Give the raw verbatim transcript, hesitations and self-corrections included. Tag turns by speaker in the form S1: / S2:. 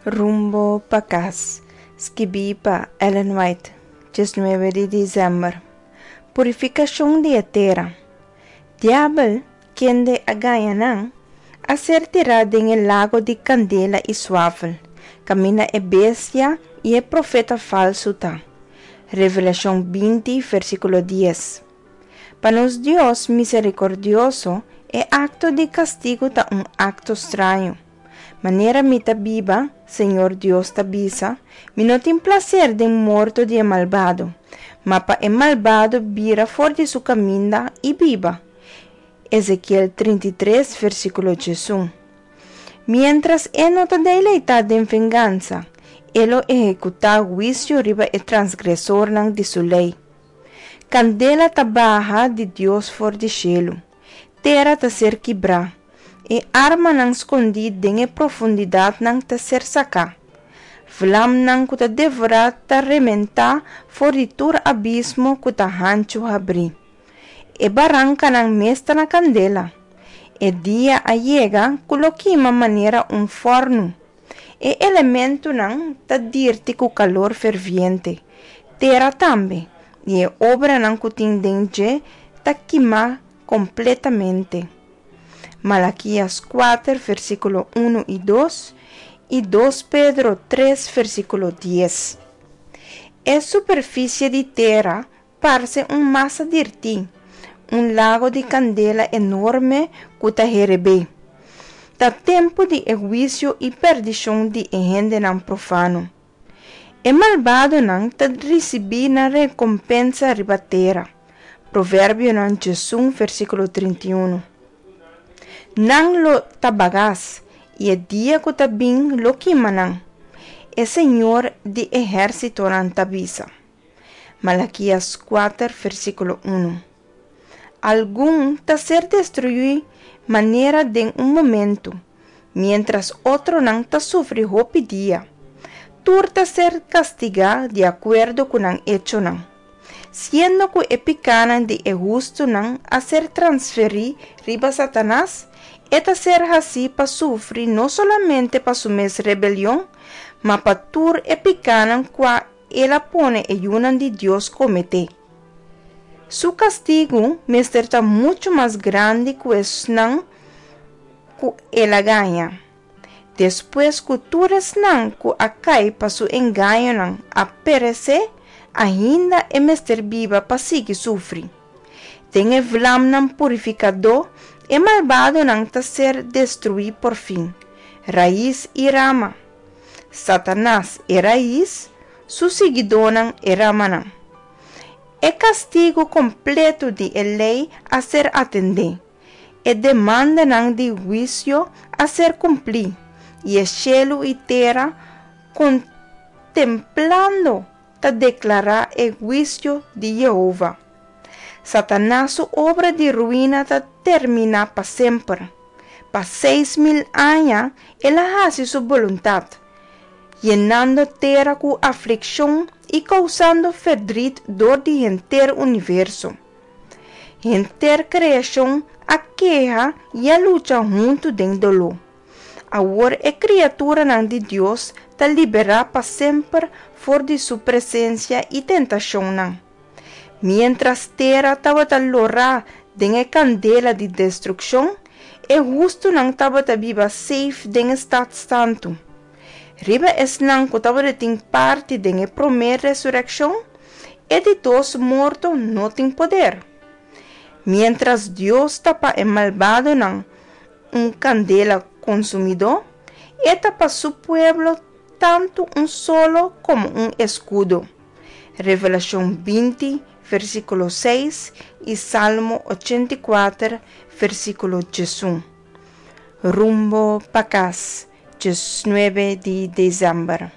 S1: Rumbo pa kas, skibí pa Ellen White, diesnuebe di desèmber. Purifikashon di e tera. Diabel, kende a gaña nan, a ser tirá den e lago di kandela i suafel, kaminda e bestia i e profeta falsu ta. Revelashon binti, versíkulo dies. Pa nos Dios miserikordioso, e akto di kastigu ta un akto straño. Manera mi ta biba, Señor Dios ta bisa, mi no tin plaser den morto di e malbado, ma pa e malbado bira for di su kaminda i biba. Ezekiel trinta i tres, versíkulo diesun. Miéntras e no ta deleitá den vengansa, e lo ehekutá huisio riba e transgresornan di su lei. Kandela ta baha di Dios for di shelu, tera ta ser kibrá, e armanan skondí den e profundidatnan ta ser saká. Vlamnan ku ta devorá ta rementá for di tur abismo ku ta hanchu habrí. E barankanan mes ta na kandela. E dia a yega ku lo kima manera un fòrnu. E elementonan ta dirti ku kalor ferviente, tera tambe, i e obranan ku tin den dje ta kimá kompletamente. Malakias kuater, versíkulo unu i dos, i dos Pedro tres, versíkulo dies. E superfisie di tera parse un masa dirtí, un lago di kandela enorme ku ta herebé. Ta tempu di e huisio i perdishon di e hendenan profano. E malbadonan ta risibí nan rekompensa riba tera. Proverbionan diesun, versíkulo trinta i unu. Nan lo ta bagas, i e dia ku ta bin lo kima nan. E Señor di ehérsitonan ta bisa. Malakias kuater, versíkulo unu. Algun ta ser destruí manera den un momento, miéntras otronan ta sufri hopi dia. Tur ta ser kastigá di akuerdo ku nan echonan. Siendo ku e pikánan di e hustunan a ser transferí riba Satanas, e ta ser hasí pa sufri no solamente pa su mes rebelion, ma pa tur e pikánan kua el a pone e yunan di Dios kometé. Su kastigu mester ta muchu mas grandi ku esnan ku el a gaña. Despues ku tur esnan ku a kai pa su engañonan a peresé, ainda e mester biba pa sigui sufri. Den e vlamnan purifikadó, e malbadonan ta ser destruí por fin, rais i rama. Satanas e rais, su siguidónan e ramanan. E kastigu kompleto di e lei a ser atendé, e demandanan di huisio a ser kumplí, i e shelu i tera, kontemplando, ta deklará e huisio di Yehova. Satanas su obra di ruina ta terminá pa semper. Pa seis mil aña el a hasi su boluntat, yenando tera ku aflikshon i kousando ferdrit dor di henter universo. Henter kreashon a keha i a lucha huntu den doló. Awor e kriaturanan di Dios ta liberá pa semper for di su presensia i tentashonnan. Miéntras tera tabata lorá den e kandela di destrukshon, e hustunan tabata biba safe den e stat santu. Riba esnan ku tabatin parti den e promé resurekshon, e di dos morto no tin poder. Miéntras Dios ta pa e malbadonan un kandela konsumidó, e ta pa su pueblo tantu un solo komo un eskudo. Revelashon binti, versíkulo seis i Salmo ochenta i kuater, versíkulo diesun. Rumbo pa kas, diesnuebe di desèmber.